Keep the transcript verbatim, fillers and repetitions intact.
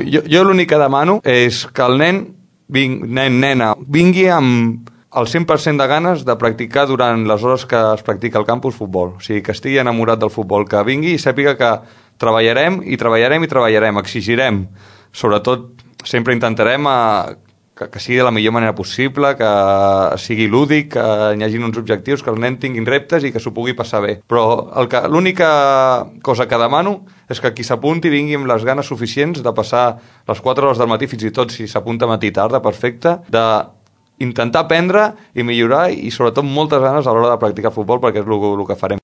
Jo, jo l'únic que demano és que el nen, ving, nen, nena, vingui amb el cent per cent de ganes de practicar durant les hores que es practica al campus futbol. O sigui, que estigui enamorat del futbol, que vingui i sàpiga que treballarem i treballarem i treballarem, exigirem. Sobretot, sempre intentarem a, que, que sigui de la millor manera possible, que sigui lúdic, que hi hagi uns objectius, que els nens tinguin reptes i que s'ho pugui passar bé. Però l'única cosa que demano és que qui s'apunti vingui amb les ganes suficients de passar les quatre hores del matí, fins i tot si s'apunta matí tarda, perfecte, de intentar aprendre i millorar i sobretot moltes ganes a l'hora de practicar futbol, perquè és el, el que farem.